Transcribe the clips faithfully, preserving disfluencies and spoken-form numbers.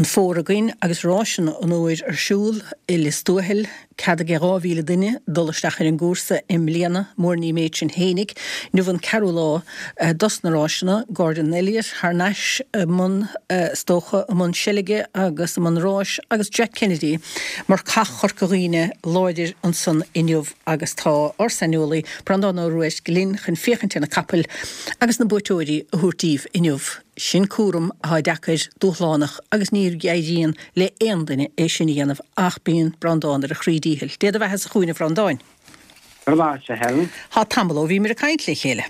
An fómhar againn agus ráiseanna an fhómhair ar siúl i Lios Tuathail, cead ag dhá mhíle duine dul isteach ar an gcúrsa i mbliana, mura ní méid sin fhéinig. Inniu an ceathrú lá dos na ráiseanna, Gordon Elliott thar n-ais i mbun, is dócha, i mbun seilge agus i mbun ráis agus Jack Kennedy mar cath Chorca Dhuibhne láidir ansan inniu agus tá ár saineolaí Breandán Ó Ruairc linn chun féachaint ar na capaill agus na buaiteoirí a thabhairt daoibh inniu. Sin cúram atá deacair, dúshlánach agus ní éiríonn le aon duine é sin a dhéanamh ach bíonn Breandán ar a chroí díchill. Dé do bheatha-sa chugainn a Bhreandáin. Go raibh maith agat, a Helen. Tá tamall ó bhíomar ag caint le chéile.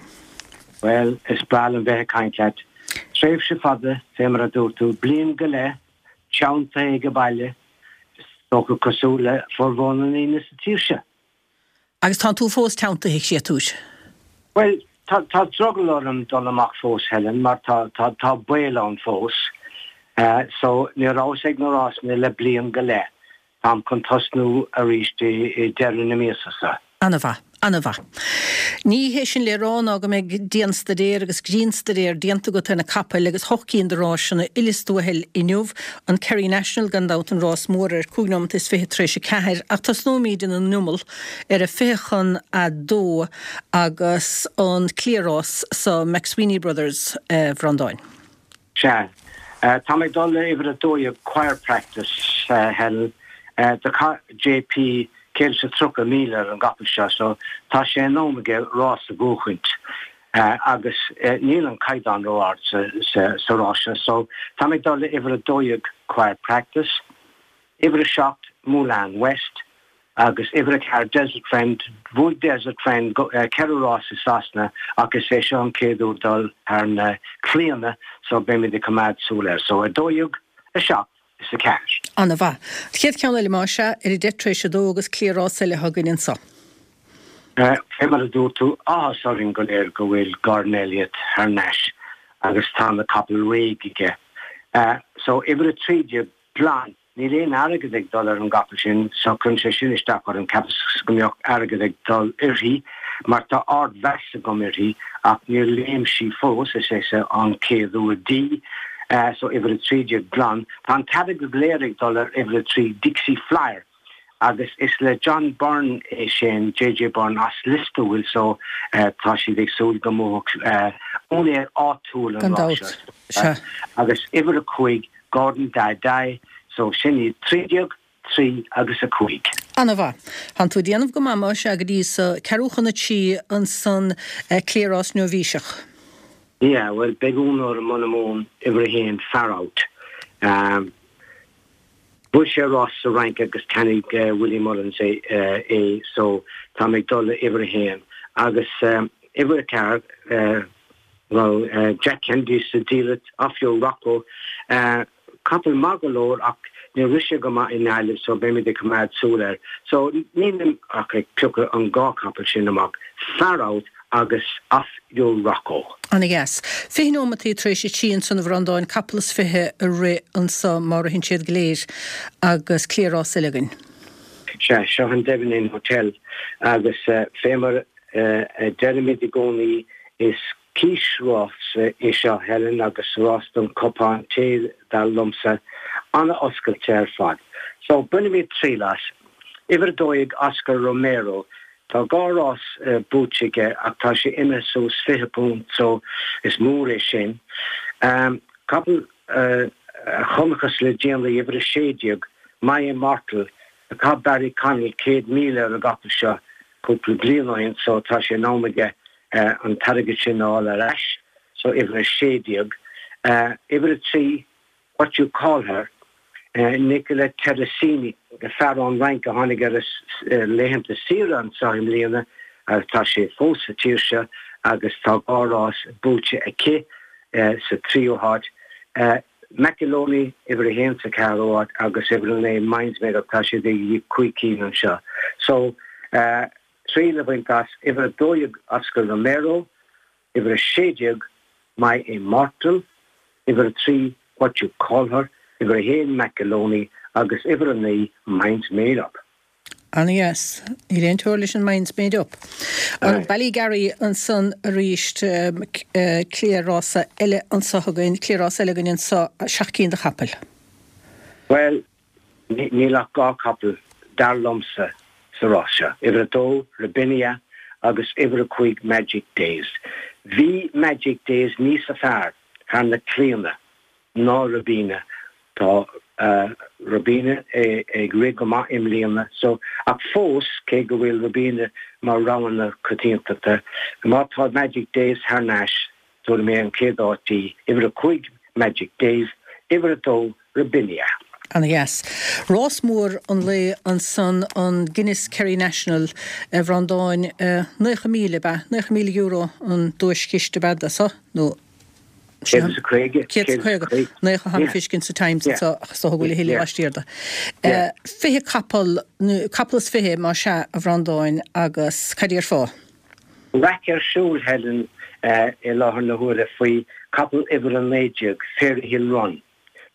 Bhuel, is breá liom bheith ag caint leat. Tréimhse fada, fé mar a dúirt tú, bliain go leith, teanntaithe ag baile, is dócha cosúil le formhór na ndaoine sa tír seo. Agus tánn tú fós teanntaithe, a chréatúir? Bhuel, tá tá drogall orm dul amach fós, Helen, mar tá tá tá baol ann fós. Uh, so ní rabhas ag na rásanna le bliain go leith. Táim chun tosnú arís i, i deireadh na míosa seo. An-mhaith, an-mhaith. Ní hé sin le rá ná go mbeidh dianstaidéar agus grinnstaidéar déanta agat ar na capaill agus hocht gcinn de ráiseanna i Lios Tuathail inniu, an Kerry National gan dabht an rás mór ar cúig nóiméad is fiche tar éis a ceathair, ach tosnóimid ina n-iomall ar a fiche chun a dó agus an cliathrás sa McSweeney Brothers, a Bhreandáin. Sea. Tá mé ag dul le uimhir a dó dhéag Choir Practice, Helen. Do chaith JP céad is a tríocha míle ar an gcapall seo so tá sé in am aige rás a bhuachaint agus níl an caighdeán ró-ard sa rás seo so tá mé ag dul le uimhir a dó dhéag Choir Practice, uimhir a seacht Moulin West agus uimhir a ceathair Desert Friend. Bhuaigh Desert Friend ceithre rás i Sasana ach is é seo an chéad uair dul thar na claíonna so beimid ag coimeád súil air. So a dó dhéag, a seacht is a ceathair. An-mhaith. An chéad cheann eile más ea, ar a deich tar éis a dó agus cliathrás eile againn anso. Fé mar a dúirt tú, áthas orainn go léir go bhfuil Gordon Elliott thar n-ais agus tá na capaill réidh aige. So uimhir a trí déag glan, níl aon airgead ag dul ar an gcapall sin so cuireann sé sin isteach orm, cheapas go mbeadh airgead ag dul uirthi mar tá ardmheas agam uirthi ach níor léim sí fós, is é seo an chéad uair di. So uimhir a trí déag glan. Tá an t-airgead go léir ag dul ar uimhir a trí Dixie Flyer agus is le John Byrne é sin, JJ Byrne as Lios Tuathail so tá siad ag súil go mbuafadh úinéir áitiúil an Gan rás dabht. seo. Sea. Agus uimhir a cúig Gordon Dai Dai so sin iad trí déag, trí agus a cúig. An-mhaith. Tánn tú ag déanamh go maith más ea go dtí so, ceathrú chun a trí ansan cliathrás nóibhíseach. Yeah, bhuel beidh ionadh orm muna mbuann uimhir a haon Far Out. Um, Bhuaigh sé rás sa Fhrainc agus cheannaigh Willie Mullins é, é so tá mé ag dul le uimhir a haon agus um, uimhir a ceathair uh, well, uh, Jack Kennedy sa diallait Off Your Rocco uh, capall maith go leor ach níor rith sé go maith i nGaillimh so beimid ag coimeád súil air. So nílim ach ag piocadh an dhá capall sin amach Far Out agus Off Your Rocco. Ana-dheas. Fiche nóimeataí tar éis a trí ansan a Bhreandáin capall is fiche a rith anso má ritheann siad go léir agus cliathrás eile againn. Sea, seo an Devon Inn Hotel agus uh, fé mar uh, deirimid i gcónaí is cíosrás é seo Helen agus rás don cupán tae dar liomsa an-oscailte ar fad. So bainimid triail as. Uimhir a dó dhéag Oscar Romero, Tá dhá rás uh, buaite aige ach tá sé imithe suas fiche punt so is mór é sin. Um, capall uh, chonacthas le déanaí uimhir a sé déag My Immortal chaith Barry Connell céad míle ar an gcapall seo cúpla bliain ó shin so tá sé in am aige uh, an t-airgead sin a fháil ar ais so uimhir a sé déag. Uh, uimhir a trí What You Call Her Uh, Nicola Teresini fear ón Fhrainc a tháinig ar uh, laethanta saoire anseo i mbliana agus tá sé fós sa tír seo agus tá dhá rás buaite aici uh, sa tríú háit. Uh, McAloney uimhir a haon sa ceathrú háit agus uimhir a naoi Minds Made Up tá sé de cúig cinn anseo. So uh, trí le baint as uimhir a dó dhéag Oscar Romero, uimhir a sé déag My Immortal, uimhir a trí What You Call Her, uimhir a haon McAloney agus uimhir a naoi Minds Made Up. Ana-dheas. Níl aon teora leis an Minds Made Up. An Ballygarry ansan arís um, cliathrás eile anso againn, cliathrás eile againn anso seacht gcinn de chapaill. Bhuel, níl ach dhá capall dar liomsa sa rás seo, uimhir a dó, Rabinia, agus uimhir a cúig, Magic Days. Bhí Magic Days níos fearr thar na claíonna ná Robina. Tá Robina ag rith go maith i mbliana so, ach fós, cé go bhfuil Robina mar rogha na coitiantachta, má tá Magic Days thar n-ais, tabharfaidh mé an chéad áit di, uimhir a cúig, Magic Days, uimhir a dó, Rabinia. Ana dheas. Rás mór an lae ansan, an Guinness Kerry National, a Bhreandáin, naocha míle, ab ea? Naocha míle euro an duaischiste ab ea do so, nó Céad is a caoga. Céad is a caoga. Naocha atá le feiscint sa Times anso ach is dócha go bhfuil a thuilleadh laistiar de. Fiche capall, nó capall is fiche más ea, a Bhreandáin, agus cad déarfá? Raic ar siúl, Helen, i láthair na huaire faoi capall uimhir a naoi déag, Fairyhill Run.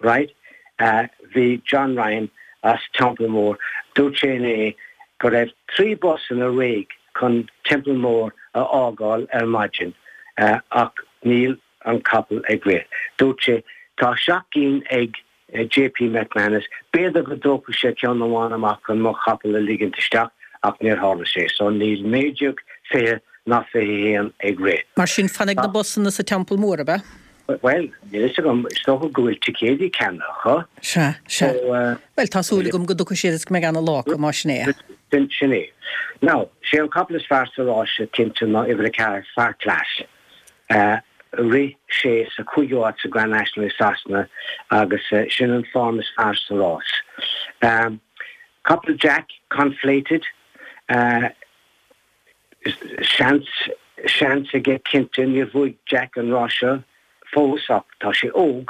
Right? Bhí John Ryan as Templemore, dúirt sé inné go raibh trí busanna réidh chun Templemore a fhágáil ar maidin ach níl an capall ag rith. Dúirt sé, tá seacht gcinn ag JP McManus, b'fhéidir go dtógfadh sé ceann amháin amach chun mo chapall a ligint isteach ach níor tharla sé. So níl naoi déag, fiche ná fiche a haon ag rith. Mar sin fanfaidh na busanna sa Teampall Mór, ab ea? Bhuel, níl fhios agam, is dócha go bhfuil ticéidí ceannaithe acu. Sea, sea. Bhuel, tá súil agam go dtiocfaidh siad is go mbeidh ana lá acu, más sin é. Sin é. Now, sé an capall is fearr sa rás seo cinnte ná uimhir a ceathair, Far Class. Rith sé sa cúigiú áit sa Grand National i Sasana agus sin an form is fearr sa rás. Capall Jack, Conflated. Seans, seans aige cinnte. Níor bhuaigh Jack an rás seo fós ach tá sé óg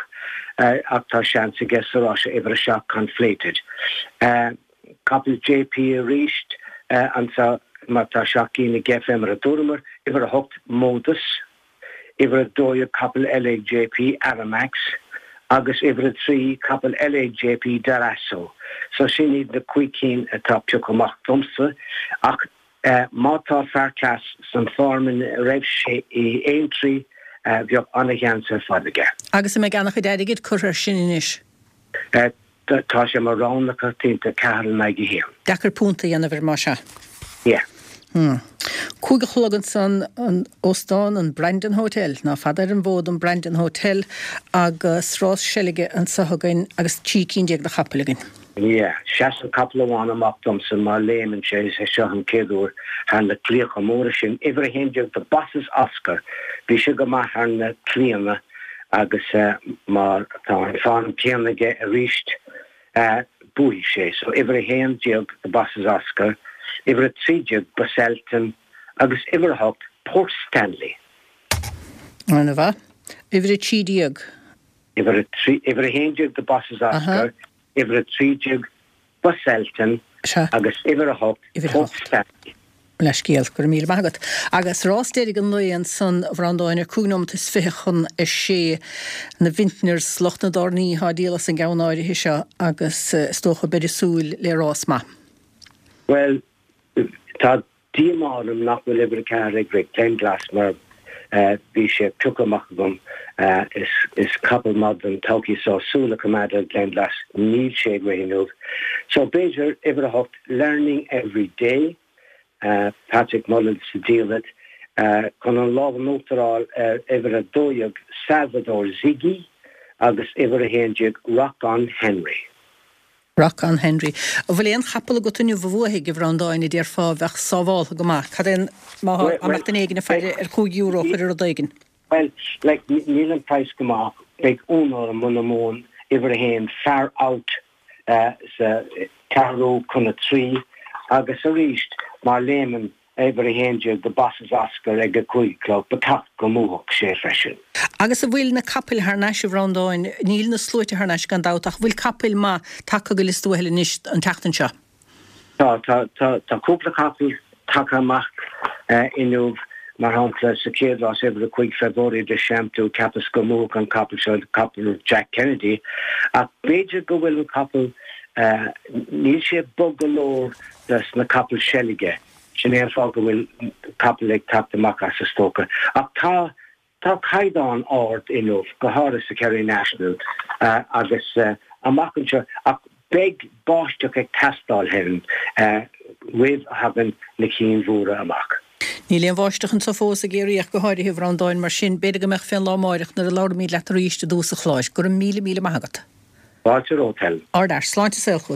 ach tá seans aige sa rás seo, uimhir a seacht Conflated. Capall JP arís anseo mar tá seacht gcinn aige fé mar a dúramar, uimhir a hocht Modus, uimhir a dó dhéag capall eile ag JP, Aramax, agus uimhir a trí capall eile ag JP, Darasso. So sin iad na cúig cinn atá pioctha amach domsa ach Má tá Far Class san form ina raibh sé i Aintree, bheadh ana-sheans ar fad aige. Agus an mbeidh ana-chuid airgid curtha air sin anois? Tá sé mar rogha na coitianta, ceathair in aghaidh a haon. Deacair punt a dhéanamh air más ea. Yeah. Hmm. Cúig a chlog ansan, an óstán, an Brandon Hotel, ná fada ar an bhfód an Brandon Hotel agus rás seilge anso againn agus trí cinn déag de chapaill againn. Yeah, seasann capall amháin amach domsa má léimeann sé, is é seo an chéad uair thar na claíocha móra sin. Uimhir a haon déag, The Boss' Oscar. Bhí sé go maith thar na claíonna agus má tá an form céanna aige arís, buafaidh sé. So uimhir a haon déag, The Boss' Oscar, uimhir a trí déag, Busselton agus uimhir a hocht, Port Stanley. Ana-mhaith. Uimhir a trí déag. Uimhir a trí, uimhir a haon déag, The Boss' Oscar. Uimhir a trí déag, Busselton agus uimhir a hocht, Port Stanley. Leithscéal, go raibh míle maith agat. Agus rás deiridh an lae ansan, a Bhreandáin, ar cúig nóimeat is fiche chun a sé, na Vintners, lucht na dtairní atá ag díol as an gceann áirithe seo agus is dócha beir ag súil le rás maith. Bhuel, tá Díomá orm nach bhfuil uimhir a ceathair ag rith, Glenglas, mar bhí sé pioctha amach agam. Is capall maith don todhchaí so súil a choimeád ar Glenglas. Níl sé ag rith inniu. So b'fhéidir uimhir a hocht, Learning Every Day, Patrick Mullins sa diallait, chun an lámh in uachtar a fháil ar uimhir a dó dhéag, Salvador Ziggy, agus uimhir a haon déag, Rock On Henry. Rock on Henry. An bhfuil aon chapall agat inniu a bhuafaidh, a Bhreandáin, a déarfá a bheadh sábháltha go maith? Cad é an, má tá, dá mbeadh duine éigin ag faire ar chúig euro a chur ar rud éigin? Bhuel, like, níl an praghas go maith ach beidh ionadh orm muna mbuann uimhir a haon, Far Out, sa ceathrú chun a trí agus arís má léimeann Uimhir a haon déag, The Boss' Oscar ag a cúig a chlog, ba cheart go mbuafadh sé freisin. Agus an bhfuil na capaill thar n-ais, a Bhreandáin? Níl na sluaite thar n-ais gan dabht, ach an bhfuil capaill maith tagtha go Lios Tuathail anois an tseachtain seo? Tá, tá, tá, tá cúpla capall tagtha amach inniu, mar shampla sa chéad rás, uimhir a cúig, Favori de Champdou, cheapas go mbuafadh an capall seo, capall Jack Kennedy, ach b'fhéidir go bhfuil an capall, níl sé bog go leor dos na capaill seilge. Sin é an fáth go bhfuil capall ag teacht amach as, is dócha. Ach tá, tá caighdeán ard inniu, go háirithe sa Kerry National agus amach anseo ach beidh báisteach ag teastáil Helen roimh a thagann na cinn mhóra amach. Níl aon bháisteach anseo fós ag Ciarraí ach go háirithe a Bhreandáin mar sin b'fhéidir go mbeadh fén lá amáireach nuair a labhraímid leat arís i dtús an chláir. Go raibh míle míle maith agat. Fáilte romhat Helen. Ardfhear, sláinte saol chugat.